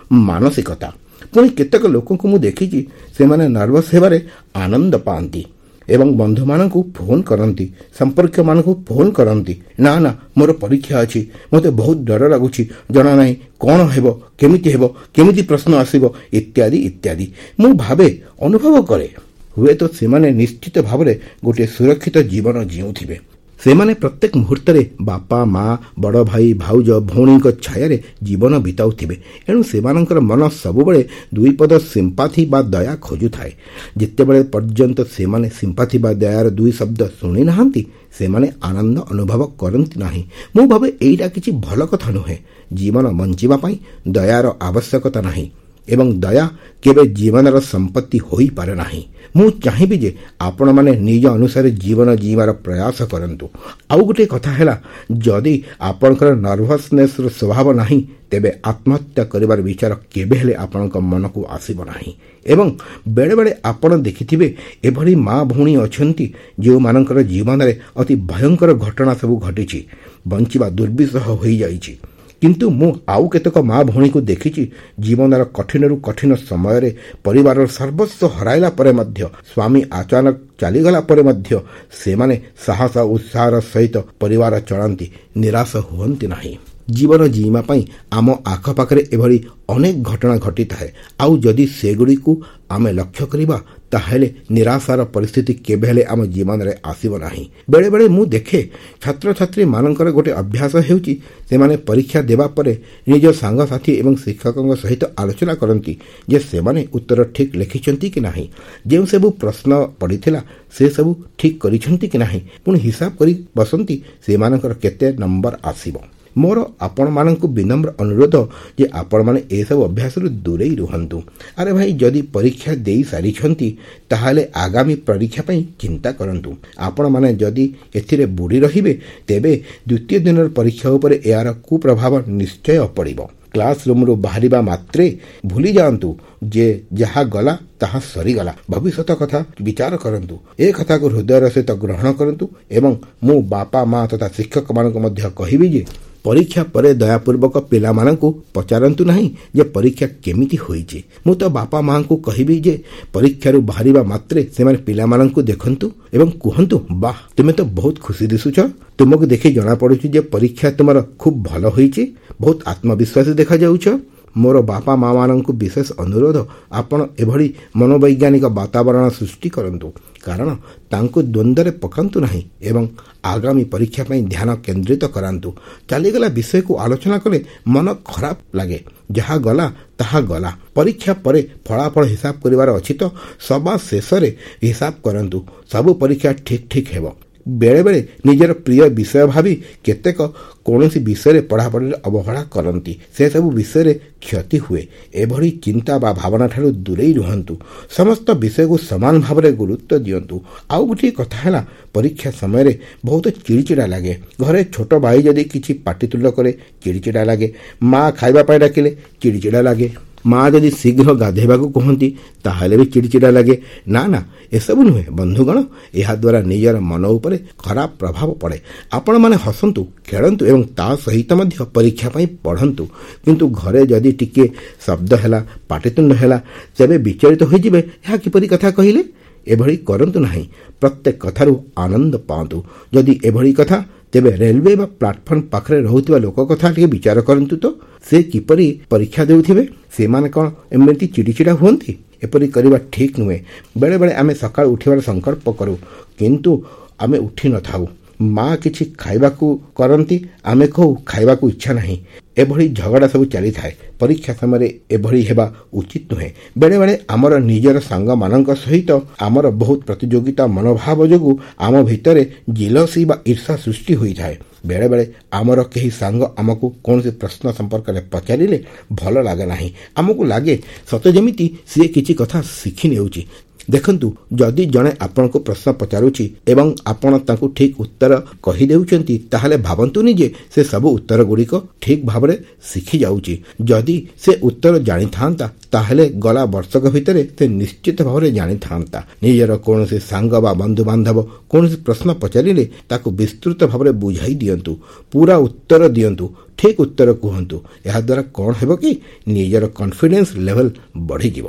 ମାନସିକତା। ପୁଣି କେତେକ ଲୋକଙ୍କୁ ମୁଁ ଦେଖିଛି ସେମାନେ ନର୍ଭସ୍ ହେବାରେ ଆନନ୍ଦ ପାଆନ୍ତି ଏବଂ ବନ୍ଧୁମାନଙ୍କୁ ଫୋନ୍ କରନ୍ତି, ସମ୍ପର୍କୀୟମାନଙ୍କୁ ଫୋନ୍ କରନ୍ତି, ନା ନା ମୋର ପରୀକ୍ଷା ଅଛି, ମୋତେ ବହୁତ ଡର ଲାଗୁଛି, ଜଣା ନାହିଁ କ'ଣ ହେବ, କେମିତି ହେବ, କେମିତି ପ୍ରଶ୍ନ ଆସିବ, ଇତ୍ୟାଦି ଇତ୍ୟାଦି। ମୁଁ ଭାବେ, ଅନୁଭବ କରେ, ହୁଏତ ସେମାନେ ନିଶ୍ଚିତ ଭାବରେ ଗୋଟିଏ ସୁରକ୍ଷିତ ଜୀବନ ଜିଉଁଥିବେ। ସେମାନେ ପ୍ରତ୍ୟେକ ମୁହୂର୍ତ୍ତରେ ବାପା, ମା, ବଡ଼ ଭାଇ, ଭାଉଜ, ଭଉଣୀଙ୍କ ଛାୟାରେ ଜୀବନ ବିତାଉଥିବେ। ଏଣୁ ସେମାନଙ୍କର ମନ ସବୁବେଳେ ଦୁଇ ପଦ ସିମ୍ପାଥି ବା ଦୟା ଖୋଜୁଥାଏ। ଯେତେବେଳେ ପର୍ଯ୍ୟନ୍ତ ସେମାନେ ସିମ୍ପାଥି ବା ଦୟାର ଦୁଇ ଶବ୍ଦ ଶୁଣି ନାହାନ୍ତି ସେମାନେ ଆନନ୍ଦ ଅନୁଭବ କରନ୍ତି ନାହିଁ। ମୁଁ ଭାବେ ଏଇଟା କିଛି ଭଲ କଥା ନୁହେଁ। ଜୀବନ ବଞ୍ଚିବା ପାଇଁ ଦୟାର ଆବଶ୍ୟକତା ନାହିଁ ଏବଂ ଦୟା କେବେ ଜୀବନର ସମ୍ପତ୍ତି ହୋଇପାରେ ନାହିଁ। ମୁଁ ଚାହିଁବି ଯେ ଆପଣମାନେ ନିଜ ଅନୁସାରେ ଜୀବନ ଜୀଇବାର ପ୍ରୟାସ କରନ୍ତୁ। ଆଉ ଗୋଟିଏ କଥା ହେଲା, ଯଦି ଆପଣଙ୍କର ନର୍ଭସନେସ୍ର ସ୍ୱଭାବ ନାହିଁ ତେବେ ଆତ୍ମହତ୍ୟା କରିବାର ବିଚାର କେବେ ହେଲେ ଆପଣଙ୍କ ମନକୁ ଆସିବ ନାହିଁ। ଏବଂ ବେଳେବେଳେ ଆପଣ ଦେଖିଥିବେ ଏଭଳି ମା ଭଉଣୀ ଅଛନ୍ତି ଯେଉଁମାନଙ୍କର ଜୀବନରେ ଅତି ଭୟଙ୍କର ଘଟଣା ସବୁ ଘଟିଛି, ବଞ୍ଚିବା ଦୁର୍ବିସହ ହୋଇଯାଇଛି। କିନ୍ତୁ ମୁଁ ଆଉ କେତେକ ମା ଭଉଣୀକୁ ଦେଖିଛି ଜୀବନର କଠିନରୁ କଠିନ ସମୟରେ ପରିବାରର ସର୍ବସ୍ୱ ହରାଇଲା ପରେ ମଧ୍ୟ, ସ୍ୱାମୀ ଅଚାନକ ଚାଲିଗଲା ପରେ ମଧ୍ୟ ସେମାନେ ସାହସ ଉତ୍ସାହର ସହିତ ପରିବାର ଚଳାନ୍ତି, ନିରାଶ ହୁଅନ୍ତି ନାହିଁ। ଜୀବନ ଜୀଇଁବା ପାଇଁ ଆମ ଆଖପାଖରେ ଏଭଳି ଅନେକ ଘଟଣା ଘଟିଥାଏ। ଆଉ ଯଦି ସେଗୁଡ଼ିକୁ ଆମେ ଲକ୍ଷ୍ୟ କରିବା ତାହେଲେ ନିରାଶାର ପରିସ୍ଥିତି କେବେ ହେଲେ ଆମ ଜୀବନରେ ଆସିବ ନାହିଁ। ବେଳେବେଳେ ମୁଁ ଦେଖେ ଛାତ୍ରଛାତ୍ରୀମାନଙ୍କର ଗୋଟେ ଅଭ୍ୟାସ ହେଉଛି ସେମାନେ ପରୀକ୍ଷା ଦେବା ପରେ ନିଜ ସାଙ୍ଗସାଥି ଏବଂ ଶିକ୍ଷକଙ୍କ ସହିତ ଆଲୋଚନା କରନ୍ତି ଯେ ସେମାନେ ଉତ୍ତର ଠିକ୍ ଲେଖିଛନ୍ତି କି ନାହିଁ, ଯେଉଁ ସବୁ ପ୍ରଶ୍ନ ପଡ଼ିଥିଲା ସେସବୁ ଠିକ୍ କରିଛନ୍ତି କି ନାହିଁ, ପୁଣି ହିସାବ କରି ବସନ୍ତି ସେମାନଙ୍କର କେତେ ନମ୍ବର ଆସିବ। ମୋର ଆପଣମାନଙ୍କୁ ବିନମ୍ର ଅନୁରୋଧ ଯେ ଆପଣମାନେ ଏସବୁ ଅଭ୍ୟାସରୁ ଦୂରେଇ ରୁହନ୍ତୁ। ଆରେ ଭାଇ, ଯଦି ପରୀକ୍ଷା ଦେଇ ସାରିଛନ୍ତି ତାହେଲେ ଆଗାମୀ ପରୀକ୍ଷା ପାଇଁ ଚିନ୍ତା କରନ୍ତୁ। ଆପଣମାନେ ଯଦି ଏଥିରେ ବୁଡ଼ି ରହିବେ ତେବେ ଦ୍ୱିତୀୟ ଦିନର ପରୀକ୍ଷା ଉପରେ ଏହାର କୁପ୍ରଭାବ ନିଶ୍ଚୟ ପଡ଼ିବ। କ୍ଲାସ୍ ରୁମ୍ରୁ ବାହାରିବା ମାତ୍ରେ ଭୁଲି ଯାଆନ୍ତୁ ଯେ ଯାହା ଗଲା ତାହା ସରିଗଲା। ଭବିଷ୍ୟତ କଥା ବିଚାର କରନ୍ତୁ। ଏ କଥାକୁ ହୃଦୟର ସହିତ ଗ୍ରହଣ କରନ୍ତୁ ଏବଂ ମୁଁ ବାପା ମା ତଥା ଶିକ୍ଷକମାନଙ୍କୁ ମଧ୍ୟ କହିବି ଯେ ପରୀକ୍ଷା ପରେ ଦୟାପୂର୍ବକ ପିଲାମାନଙ୍କୁ ପଚାରନ୍ତୁ ନାହିଁ ଯେ ପରୀକ୍ଷା କେମିତି ହୋଇଛି। ମୁଁ ତ ବାପା ମାଆଙ୍କୁ କହିବି ଯେ ପରୀକ୍ଷାରୁ ବାହାରିବା ମାତ୍ରେ ସେମାନେ ପିଲାମାନଙ୍କୁ ଦେଖନ୍ତୁ ଏବଂ କୁହନ୍ତୁ, ବାଃ, ତୁମେ ତ ବହୁତ ଖୁସି ଦିଶୁଛ, ତୁମକୁ ଦେଖି ଜଣାପଡ଼ୁଛି ଯେ ପରୀକ୍ଷା ତୁମର ଖୁବ୍ ଭଲ ହୋଇଛି, ବହୁତ ଆତ୍ମବିଶ୍ୱାସୀ ଦେଖାଯାଉଛ। ମୋର ବାପା ମାଆମାନଙ୍କୁ ବିଶେଷ ଅନୁରୋଧ, ଆପଣ ଏଭଳି ମନୋବୈଜ୍ଞାନିକ ବାତାବରଣ ସୃଷ୍ଟି କରନ୍ତୁ, କାରଣ ତାଙ୍କୁ ଦ୍ୱନ୍ଦ୍ୱରେ ପକାନ୍ତୁ ନାହିଁ ଏବଂ ଆଗାମୀ ପରୀକ୍ଷା ପାଇଁ ଧ୍ୟାନ କେନ୍ଦ୍ରିତ କରାନ୍ତୁ। ଚାଲିଗଲା ବିଷୟକୁ ଆଲୋଚନା କଲେ ମନ ଖରାପ ଲାଗେ। ଯାହା ଗଲା ତାହା ଗଲା। ପରୀକ୍ଷା ପରେ ଫଳାଫଳ ହିସାବ କରିବାର ଅଛି ତ ସବା ଶେଷରେ ହିସାବ କରନ୍ତୁ। ସବୁ ପରୀକ୍ଷା ଠିକ୍ ଠିକ୍ ହେବ। ବେଳେବେଳେ ନିଜର ପ୍ରିୟ ବିଷୟ ଭାବି କେତେକ କୌଣସି ବିଷୟରେ ପଢ଼ାପଢ଼ିରେ ଅବହେଳା କରନ୍ତି, ସେସବୁ ବିଷୟରେ କ୍ଷତି ହୁଏ। ଏଭଳି ଚିନ୍ତା ବା ଭାବନାଠାରୁ ଦୂରେଇ ରୁହନ୍ତୁ। ସମସ୍ତ ବିଷୟକୁ ସମାନ ଭାବରେ ଗୁରୁତ୍ୱ ଦିଅନ୍ତୁ। ଆଉ ଗୋଟିଏ କଥା ହେଲା, ପରୀକ୍ଷା ସମୟରେ ବହୁତ ଚିଡ଼ିଚିଡ଼ା ଲାଗେ। ଘରେ ଛୋଟ ଭାଇ ଯଦି କିଛି ପାଟିତୁଣ୍ଡ କରେ ଚିଡ଼ିଚିଡ଼ା ଲାଗେ। ମା ଖାଇବା ପାଇଁ ଡାକିଲେ ଚିଡ଼ିଚିଡ଼ା ଲାଗେ। ମା ଯଦି ଶୀଘ୍ର ଗାଧୋଇବାକୁ କୁହନ୍ତି ତାହେଲେ ବି ଚିଡ଼ିଚିଡ଼ା ଲାଗେ। ନା ନା, ଏସବୁ ନୁହେଁ ବନ୍ଧୁଗଣ, ଏହାଦ୍ୱାରା ନିଜର ମନ ଉପରେ ଖରାପ ପ୍ରଭାବ ପଡ଼େ। ଆପଣମାନେ ହସନ୍ତୁ, ଖେଳନ୍ତୁ ଏବଂ ତା ସହିତ ମଧ୍ୟ ପରୀକ୍ଷା ପାଇଁ ପଢ଼ନ୍ତୁ। କିନ୍ତୁ ଘରେ ଯଦି ଟିକିଏ ଶବ୍ଦ ହେଲା, ପାଟିତୁଣ୍ଡ ହେଲା, ତେବେ ବିଚଳିତ ହୋଇଯିବେ। ଏହା କିପରି କଥା କହିଲେ? ଏଭଳି କରନ୍ତୁ ନାହିଁ। ପ୍ରତ୍ୟେକ କଥାରୁ ଆନନ୍ଦ ପାଆନ୍ତୁ। ଯଦି ଏଭଳି କଥା, ତେବେ ରେଲୱେ ବା ପ୍ଲାଟଫର୍ମ ପାଖରେ ରହୁଥିବା ଲୋକ କଥା ଟିକେ ବିଚାର କରନ୍ତୁ ତ, ସେ କିପରି ପରୀକ୍ଷା ଦେଉଥିବେ? ସେମାନେ କ'ଣ ଏମିତି ଚିଡ଼ିଚିଡ଼ା ହୁଅନ୍ତି? ଏପରି କରିବା ଠିକ୍ ନୁହେଁ। ବେଳେବେଳେ ଆମେ ସକାଳୁ ଉଠିବାର ସଂକଳ୍ପ କରୁ, କିନ୍ତୁ ଆମେ ଉଠି ନଥାଉ। ମା କିଛି ଖାଇବାକୁ କରନ୍ତି, ଆମେ କହୁ ଖାଇବାକୁ ଇଚ୍ଛା ନାହିଁ। ଏଭଳି ଝଗଡ଼ା ସବୁ ଚାଲିଥାଏ। ପରୀକ୍ଷା ସମୟରେ ଏଭଳି ହେବା ଉଚିତ ନୁହେଁ। ବେଳେବେଳେ ଆମର ନିଜର ସାଙ୍ଗମାନଙ୍କ ସହିତ ଆମର ବହୁତ ପ୍ରତିଯୋଗିତା ମନୋଭାବ ଯୋଗୁଁ ଆମ ଭିତରେ ଜିଲସି ବା ଈର୍ଷା ସୃଷ୍ଟି ହୋଇଥାଏ। ବେଳେବେଳେ ଆମର କେହି ସାଙ୍ଗ ଆମକୁ କୌଣସି ପ୍ରଶ୍ନ ସମ୍ପର୍କରେ ପଚାରିଲେ ଭଲ ଲାଗେ ନାହିଁ। ଆମକୁ ଲାଗେ ସତେ ଯେମିତି ସିଏ କିଛି କଥା ଶିଖି ନେଉଛି। ଦେଖନ୍ତୁ, ଯଦି ଜଣେ ଆପଣଙ୍କୁ ପ୍ରଶ୍ନ ପଚାରୁଛି ଏବଂ ଆପଣ ତାଙ୍କୁ ଠିକ୍ ଉତ୍ତର କହିଦେଉଛନ୍ତି, ତାହେଲେ ଭାବନ୍ତୁନି ଯେ ସେ ସବୁ ଉତ୍ତର ଗୁଡ଼ିକ ଠିକ୍ ଭାବରେ ଶିଖି ଯାଉଛି। ଯଦି ସେ ଉତ୍ତର ଜାଣିଥାନ୍ତା ତାହେଲେ ଗଲା ବର୍ଷକ ଭିତରେ ସେ ନିଶ୍ଚିତ ଭାବରେ ଜାଣିଥାନ୍ତା। ନିଜର କୌଣସି ସାଙ୍ଗ ବା ବନ୍ଧୁବାନ୍ଧବ କୌଣସି ପ୍ରଶ୍ନ ପଚାରିଲେ ତାକୁ ବିସ୍ତୃତ ଭାବରେ ବୁଝାଇ ଦିଅନ୍ତୁ, ପୁରା ଉତ୍ତର ଦିଅନ୍ତୁ, ଠିକ୍ ଉତ୍ତର କୁହନ୍ତୁ। ଏହାଦ୍ୱାରା କ'ଣ ହେବ କି, ନିଜର କନଫିଡେନ୍ସ ଲେଭେଲ ବଢ଼ିଯିବ।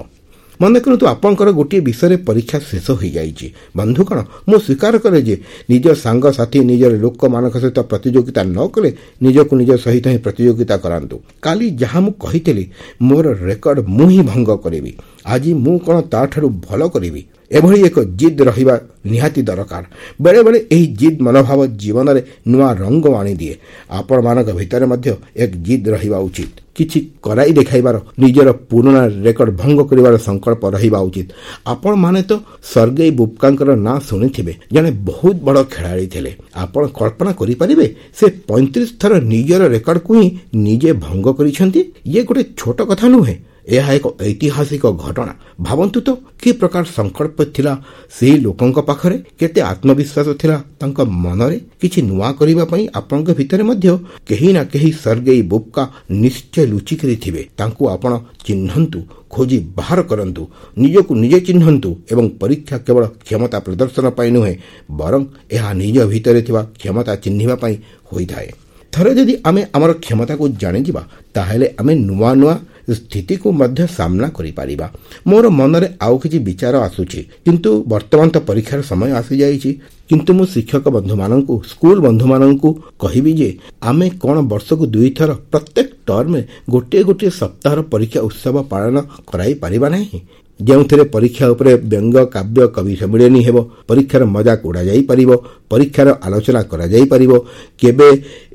ମନେ କରନ୍ତୁ ଆପଣଙ୍କର ଗୋଟିଏ ବିଷୟରେ ପରୀକ୍ଷା ଶେଷ ହୋଇଯାଇଛି। ବନ୍ଧୁଗଣ, ମୁଁ ସ୍ୱୀକାର କରେ ଯେ ନିଜ ସାଙ୍ଗସାଥି, ନିଜର ଲୋକମାନଙ୍କ ସହିତ ପ୍ରତିଯୋଗିତା ନ କଲେ ନିଜକୁ ନିଜ ସହିତ ହିଁ ପ୍ରତିଯୋଗିତା କରାନ୍ତୁ। କାଲି ଯାହା ମୁଁ କହିଥିଲି, ମୋର ରେକର୍ଡ ମୁଁ ହିଁ ଭଙ୍ଗ କରିବି, ଆଜି ମୁଁ କ'ଣ ତାଠାରୁ ଭଲ କରିବି, ଏଭଳି ଏକ ଜିଦ୍ ରହିବା ନିହାତି ଦରକାର। ବେଳେବେଳେ ଏହି ଜିଦ୍ ମନୋଭାବ ଜୀବନରେ ନୂଆ ରଙ୍ଗ ଆଣିଦିଏ। ଆପଣମାନଙ୍କ ଭିତରେ ମଧ୍ୟ ଏକ ଜିଦ୍ ରହିବା ଉଚିତ। କିଛି କରାଇ ଦେଖାଇବାର, ନିଜର ପୁରୁଣା ରେକର୍ଡ ଭଙ୍ଗ କରିବାର ସଂକଳ୍ପ ରହିବା ଉଚିତ। ଆପଣମାନେ ତ ସର୍ଗେଇ ବୁବକାଙ୍କର ନାଁ ଶୁଣିଥିବେ, ଜଣେ ବହୁତ ବଡ଼ ଖେଳାଳି ଥିଲେ। ଆପଣ କଳ୍ପନା କରିପାରିବେ ସେ ପଇଁତିରିଶ ଥର ନିଜର ରେକର୍ଡକୁ ହିଁ ନିଜେ ଭଙ୍ଗ କରିଛନ୍ତି? ଇଏ ଗୋଟେ ଛୋଟ କଥା ନୁହେଁ, ଏହା ଏକ ଐତିହାସିକ ଘଟଣା। ଭାବନ୍ତୁ ତ କି ପ୍ରକାର ସଂକଳ୍ପ ଥିଲା ସେହି ଲୋକଙ୍କ ପାଖରେ, କେତେ ଆତ୍ମବିଶ୍ୱାସ ଥିଲା ତାଙ୍କ ମନରେ କିଛି ନୂଆ କରିବା ପାଇଁ। ଆପଣଙ୍କ ଭିତରେ ମଧ୍ୟ କେହି ନା କେହି ସର୍ଗେଇ ବୁବକା ନିଶ୍ଚୟ ଲୁଚିକରି ଥିବେ। ତାଙ୍କୁ ଆପଣ ଚିହ୍ନନ୍ତୁ, ଖୋଜି ବାହାର କରନ୍ତୁ, ନିଜକୁ ନିଜେ ଚିହ୍ନନ୍ତୁ। ଏବଂ ପରୀକ୍ଷା କେବଳ କ୍ଷମତା ପ୍ରଦର୍ଶନ ପାଇଁ ନୁହେଁ, ବରଂ ଏହା ନିଜ ଭିତରେ ଥିବା କ୍ଷମତା ଚିହ୍ନିବା ପାଇଁ ହୋଇଥାଏ। ଥରେ ଯଦି ଆମେ ଆମର କ୍ଷମତାକୁ ଜାଣିଯିବା, ତାହେଲେ ଆମେ ନୂଆ ନୂଆ ସ୍ଥିତିକୁ ମଧ୍ୟ ସାମ୍ନା କରିପାରିବା। ମୋର ମନରେ ଆଉ କିଛି ବିଚାର ଆସୁଛି, କିନ୍ତୁ ବର୍ତ୍ତମାନ ତ ପରୀକ୍ଷାର ସମୟ ଆସିଯାଇଛି। କିନ୍ତୁ ମୁଁ ଶିକ୍ଷକ ବନ୍ଧୁମାନଙ୍କୁ, ସ୍କୁଲ ବନ୍ଧୁମାନଙ୍କୁ କହିବି ଯେ ଆମେ କ'ଣ ବର୍ଷକୁ ଦୁଇଥର ପ୍ରତ୍ୟେକ ଟର୍ମରେ ଗୋଟିଏ ଗୋଟିଏ ସପ୍ତାହର ପରୀକ୍ଷା ଉତ୍ସବ ପାଳନ କରାଇ ପାରିବା ନାହିଁ, ଯେଉଁଥିରେ ପରୀକ୍ଷା ଉପରେ ବ୍ୟଙ୍ଗ, କାବ୍ୟ, କବି ସମ୍ମିଳନୀ ହେବ, ପରୀକ୍ଷାର ମଜାକ ଉଡ଼ାଯାଇପାରିବ, ପରୀକ୍ଷାର ଆଲୋଚନା କରାଯାଇପାରିବ। କେବେ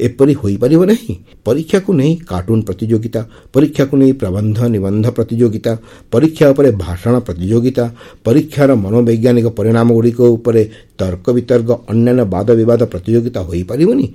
ଏପରି ହୋଇପାରିବ ନାହିଁ? ପରୀକ୍ଷାକୁ ନେଇ କାର୍ଟୁନ ପ୍ରତିଯୋଗିତା, ପରୀକ୍ଷାକୁ ନେଇ ପ୍ରବନ୍ଧ ନିବନ୍ଧ ପ୍ରତିଯୋଗିତା, ପରୀକ୍ଷା ଉପରେ ଭାଷଣ ପ୍ରତିଯୋଗିତା, ପରୀକ୍ଷାର ମନୋବୈଜ୍ଞାନିକ ପରିଣାମଗୁଡ଼ିକ ଉପରେ ତର୍କ ବିତର୍କ, ଅନ୍ୟାନ୍ୟ ବାଦ ବିବାଦ ପ୍ରତିଯୋଗିତା ହୋଇପାରିବନି?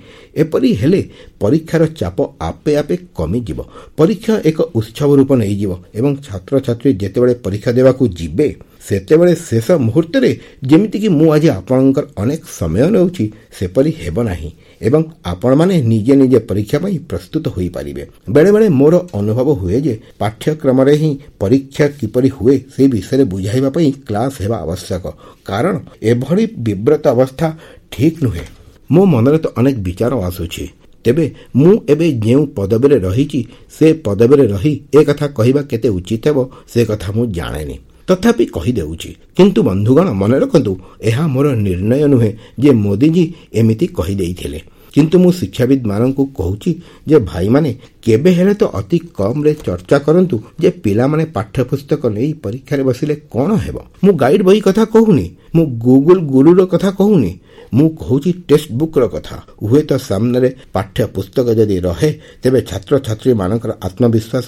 ଏପରି ହେଲେ ପରୀକ୍ଷାର ଚାପ ଆପେ ଆପେ କମିଯିବ। ପରୀକ୍ଷା ଏକ ଉତ୍ସବ ରୂପ ନେଇଯିବ ଏବଂ ଛାତ୍ରଛାତ୍ରୀ ଯେତେବେଳେ ପରୀକ୍ଷା ଦେବାକୁ ଯିବେ ସେତେବେଳେ ଶେଷ ମୁହୂର୍ତ୍ତରେ ଯେମିତିକି ମୁଁ ଆଜି ଆପଣଙ୍କର ଅନେକ ସମୟ ନେଉଛି ସେପରି ହେବ ନାହିଁ ଏବଂ ଆପଣମାନେ ନିଜେ ନିଜେ ପରୀକ୍ଷା ପାଇଁ ପ୍ରସ୍ତୁତ ହୋଇପାରିବେ। ବେଳେବେଳେ ମୋର ଅନୁଭବ ହୁଏ ଯେ ପାଠ୍ୟକ୍ରମରେ ହିଁ ପରୀକ୍ଷା କିପରି ହୁଏ ସେ ବିଷୟରେ ବୁଝାଇବା ପାଇଁ କ୍ଲାସ୍ ହେବା ଆବଶ୍ୟକ, କାରଣ ଏଭଳି ବିବ୍ରତ ଅବସ୍ଥା ଠିକ୍ ନୁହେଁ। ମୋ ମନରେ ତ ଅନେକ ବିଚାର ଆସୁଛି। ତେବେ ମୁଁ ଏବେ ଯେଉଁ ପଦବୀରେ ରହିଛି ସେ ପଦବୀରେ ରହି ଏ କଥା କହିବା କେତେ ଉଚିତ ହେବ ସେ କଥା ମୁଁ ଜାଣେନି, ତଥାପି କହିଦେଉଛି। କିନ୍ତୁ ବନ୍ଧୁଗଣ, ମନେ ରଖନ୍ତୁ, ଏହା ମୋର ନିର୍ଣ୍ଣୟ ନୁହେଁ ଯେ ମୋଦିଜୀ ଏମିତି କହିଦେଇଥିଲେ। କିନ୍ତୁ ମୁଁ ଶିକ୍ଷାବିତ୍ମାନଙ୍କୁ କହୁଛି ଯେ ଭାଇମାନେ, କେବେ ହେଲେ ତ ଅତି କମ୍ରେ ଚର୍ଚ୍ଚା କରନ୍ତୁ ଯେ ପିଲାମାନେ ପାଠ୍ୟପୁସ୍ତକ ନେଇ ପରୀକ୍ଷାରେ ବସିଲେ କ'ଣ ହେବ। ମୁଁ ଗାଇଡ୍ ବହି କଥା କହୁନି, ମୁଁ ଗୁଗୁଲ ଗୁରୁର କଥା କହୁନି, ମୁଁ କହୁଛି ଟେକ୍ସଟ ବୁକ୍ର କଥା। ହୁଏତ ସାମ୍ନାରେ ପାଠ୍ୟପୁସ୍ତକ ଯଦି ରହେ ତେବେ ଛାତ୍ରଛାତ୍ରୀମାନଙ୍କର ଆତ୍ମବିଶ୍ୱାସ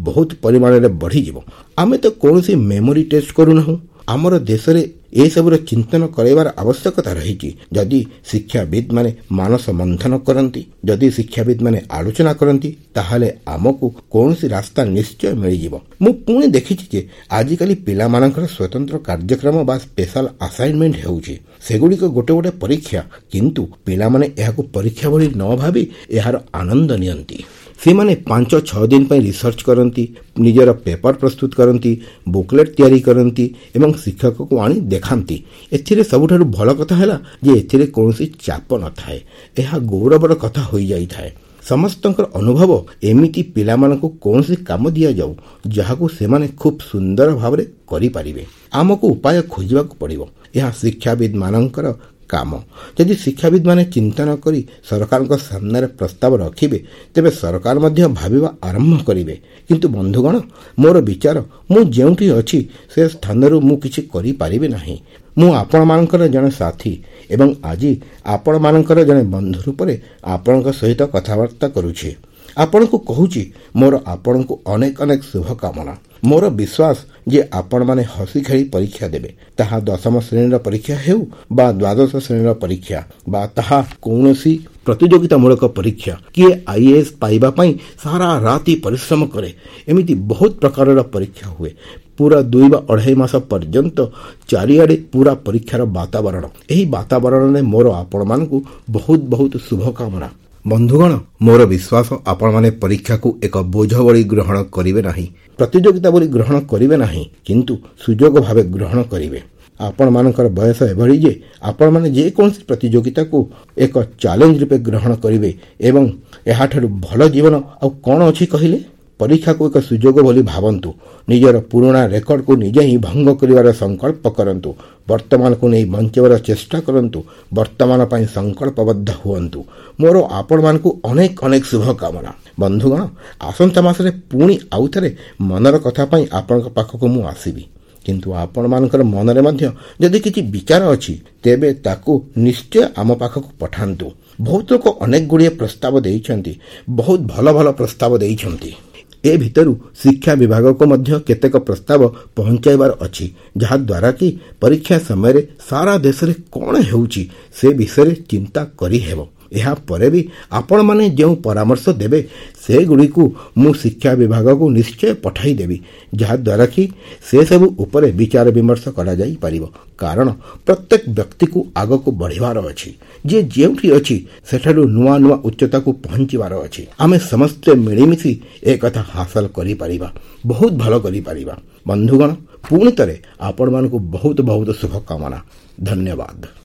ବହୁତ ପରିମାଣରେ ବଢ଼ିଯିବ। ଆମେ ତ କୌଣସି ମେମୋରି ଟେଷ୍ଟ କରୁନାହୁଁ। ଆମର ଦେଶରେ ଏସବୁର ଚିନ୍ତନ କରାଇବାର ଆବଶ୍ୟକତା ରହିଛି। ଯଦି ଶିକ୍ଷାବିତ୍ମାନେ ମାନସ ମନ୍ଥନ କରନ୍ତି, ଯଦି ଶିକ୍ଷାବିତ୍ମାନେ ଆଲୋଚନା କରନ୍ତି, ତାହେଲେ ଆମକୁ କୌଣସି ରାସ୍ତା ନିଶ୍ଚୟ ମିଳିଯିବ। ମୁଁ ପୁଣି ଦେଖିଛି ଯେ ଆଜିକାଲି ପିଲାମାନଙ୍କର ସ୍ୱତନ୍ତ୍ର କାର୍ଯ୍ୟକ୍ରମ ବା ସ୍ପେଶାଲ ଆସାଇନମେଣ୍ଟ ହେଉଛି। ସେଗୁଡ଼ିକ ଗୋଟେ ଗୋଟେ ପରୀକ୍ଷା, କିନ୍ତୁ ପିଲାମାନେ ଏହାକୁ ପରୀକ୍ଷା ଭଳି ନ ଭାବି ଏହାର ଆନନ୍ଦ ନିଅନ୍ତି। ସେମାନେ ପାଞ୍ଚ ଛଅ ଦିନ ପାଇଁ ରିସର୍ଚ୍ଚ କରନ୍ତି, ନିଜର ପେପର ପ୍ରସ୍ତୁତ କରନ୍ତି, ବୁକଲେଟ୍ ତିଆରି କରନ୍ତି ଏବଂ ଶିକ୍ଷକକୁ ଆଣି ଦେଖାନ୍ତି। ଏଥିରେ ସବୁଠାରୁ ଭଲ କଥା ହେଲା ଯେ ଏଥିରେ କୌଣସି ଚାପ ନଥାଏ। ଏହା ଗୌରବର କଥା ହୋଇଯାଇଥାଏ। ସମସ୍ତଙ୍କର ଅନୁଭବ ଏମିତି ପିଲାମାନଙ୍କୁ କୌଣସି କାମ ଦିଆଯାଉ ଯାହାକୁ ସେମାନେ ଖୁବ୍ ସୁନ୍ଦର ଭାବରେ କରିପାରିବେ। ଆମକୁ ଉପାୟ ଖୋଜିବାକୁ ପଡ଼ିବ। ଏହା ଶିକ୍ଷାବିତ୍ମାନଙ୍କର କାମ। ଯଦି ଶିକ୍ଷାବିତ୍ମାନେ ଚିନ୍ତନ କରି ସରକାରଙ୍କ ସାମ୍ନାରେ ପ୍ରସ୍ତାବ ରଖିବେ ତେବେ ସରକାର ମଧ୍ୟ ଭାବିବା ଆରମ୍ଭ କରିବେ। କିନ୍ତୁ ବନ୍ଧୁଗଣ, ମୋର ବିଚାର, ମୁଁ ଯେଉଁଠି ଅଛି ସେ ସ୍ଥାନରୁ ମୁଁ କିଛି କରିପାରିବି ନାହିଁ। ମୁଁ ଆପଣମାନଙ୍କର ଜଣେ ସାଥୀ ଏବଂ ଆଜି ଆପଣମାନଙ୍କର ଜଣେ ବନ୍ଧୁ ରୂପରେ ଆପଣଙ୍କ ସହିତ କଥାବାର୍ତ୍ତା କରୁଛି। ଆପଣଙ୍କୁ କହୁଛି, ମୋର ଆପଣଙ୍କୁ ଅନେକ ଅନେକ ଶୁଭକାମନା। ମୋର ବିଶ୍ୱାସ ଯେ ଆପଣମାନେ ହସି ଖେଳି ପରୀକ୍ଷା ଦେବେ, ତାହା ଦଶମ ଶ୍ରେଣୀର ପରୀକ୍ଷା ହେଉ ବା ଦ୍ୱାଦଶ ଶ୍ରେଣୀର ପରୀକ୍ଷା ବା ତାହା କୌଣସି ପ୍ରତିଯୋଗିତାମୂଳକ ପରୀକ୍ଷା। କିଏ I A S ପାଇବା ପାଇଁ ସାରା ରାତି ପରିଶ୍ରମ କରେ। ଏମିତି ବହୁତ ପ୍ରକାରର ପରୀକ୍ଷା ହୁଏ। ପୁରା ଦୁଇ ବା ଅଢ଼େଇ ମାସ ପର୍ଯ୍ୟନ୍ତ ଚାରିଆଡ଼େ ପୁରା ପରୀକ୍ଷାର ବାତାବରଣ। ଏହି ବାତାବରଣରେ ମୋର ଆପଣମାନଙ୍କୁ ବହୁତ ବହୁତ ଶୁଭକାମନା। ବନ୍ଧୁଗଣ, ମୋର ବିଶ୍ୱାସ ଆପଣମାନେ ପରୀକ୍ଷାକୁ ଏକ ବୋଝ ଭଳି ଗ୍ରହଣ କରିବେ ନାହିଁ, ପ୍ରତିଯୋଗିତା ବୋଲି ଗ୍ରହଣ କରିବେ ନାହିଁ, କିନ୍ତୁ ସୁଯୋଗ ଭାବେ ଗ୍ରହଣ କରିବେ। ଆପଣମାନଙ୍କର ବୟସ ଏଭଳି ଯେ ଆପଣମାନେ ଯେକୌଣସି ପ୍ରତିଯୋଗିତାକୁ ଏକ ଚ୍ୟାଲେଞ୍ଜ ରୂପେ ଗ୍ରହଣ କରିବେ ଏବଂ ଏହାଠାରୁ ଭଲ ଜୀବନ ଆଉ କ'ଣ ଅଛି କହିଲେ? ପରୀକ୍ଷାକୁ ଏକ ସୁଯୋଗ ବୋଲି ଭାବନ୍ତୁ। ନିଜର ପୁରୁଣା ରେକର୍ଡକୁ ନିଜେ ହିଁ ଭଙ୍ଗ କରିବାର ସଂକଳ୍ପ କରନ୍ତୁ। ବର୍ତ୍ତମାନକୁ ନେଇ ବଞ୍ଚିବାର ଚେଷ୍ଟା କରନ୍ତୁ। ବର୍ତ୍ତମାନ ପାଇଁ ସଂକଳ୍ପବଦ୍ଧ ହୁଅନ୍ତୁ। ମୋର ଆପଣମାନଙ୍କୁ ଅନେକ ଅନେକ ଶୁଭକାମନା। ବନ୍ଧୁଗଣ, ଆସନ୍ତା ମାସରେ ପୁଣି ଆଉଥରେ ମନର କଥା ପାଇଁ ଆପଣଙ୍କ ପାଖକୁ ମୁଁ ଆସିବି। କିନ୍ତୁ ଆପଣମାନଙ୍କର ମନରେ ମଧ୍ୟ ଯଦି କିଛି ବିଚାର ଅଛି ତେବେ ତାକୁ ନିଶ୍ଚୟ ଆମ ପାଖକୁ ପଠାନ୍ତୁ। ବହୁତ ଲୋକ ଅନେକ ଗୁଡ଼ିଏ ପ୍ରସ୍ତାବ ଦେଇଛନ୍ତି, ବହୁତ ଭଲ ଭଲ ପ୍ରସ୍ତାବ ଦେଇଛନ୍ତି। ଏ ଭିତରୁ ଶିକ୍ଷା ବିଭାଗକୁ ମଧ୍ୟ କେତେକ ପ୍ରସ୍ତାବ ପହଞ୍ଚାଇବାର ଅଛି, ଯାହାଦ୍ୱାରା କି ପରୀକ୍ଷା ସମୟରେ ସାରା ଦେଶରେ କ'ଣ ହେଉଛି ସେ ବିଷୟରେ ଚିନ୍ତା କରିହେବ। ଏହାପରେ ବି ଆପଣମାନେ ଯେଉଁ ପରାମର୍ଶ ଦେବେ ସେଗୁଡ଼ିକୁ ମୁଁ ଶିକ୍ଷା ବିଭାଗକୁ ନିଶ୍ଚୟ ପଠାଇଦେବି, ଯାହାଦ୍ୱାରା କି ସେସବୁ ଉପରେ ବିଚାର ବିମର୍ଶ କରାଯାଇପାରିବ। କାରଣ ପ୍ରତ୍ୟେକ ବ୍ୟକ୍ତିକୁ ଆଗକୁ ବଢ଼ିବାର ଅଛି। ଯିଏ ଯେଉଁଠି ଅଛି ସେଠାରୁ ନୂଆ ନୂଆ ଉଚ୍ଚତାକୁ ପହଞ୍ଚିବାର ଅଛି। ଆମେ ସମସ୍ତେ ମିଳିମିଶି ଏକଥା ହାସଲ କରିପାରିବା, ବହୁତ ଭଲ କରିପାରିବା। ବନ୍ଧୁଗଣ, ପୁଣି ଥରେ ଆପଣମାନଙ୍କୁ ବହୁତ ବହୁତ ଶୁଭକାମନା। ଧନ୍ୟବାଦ।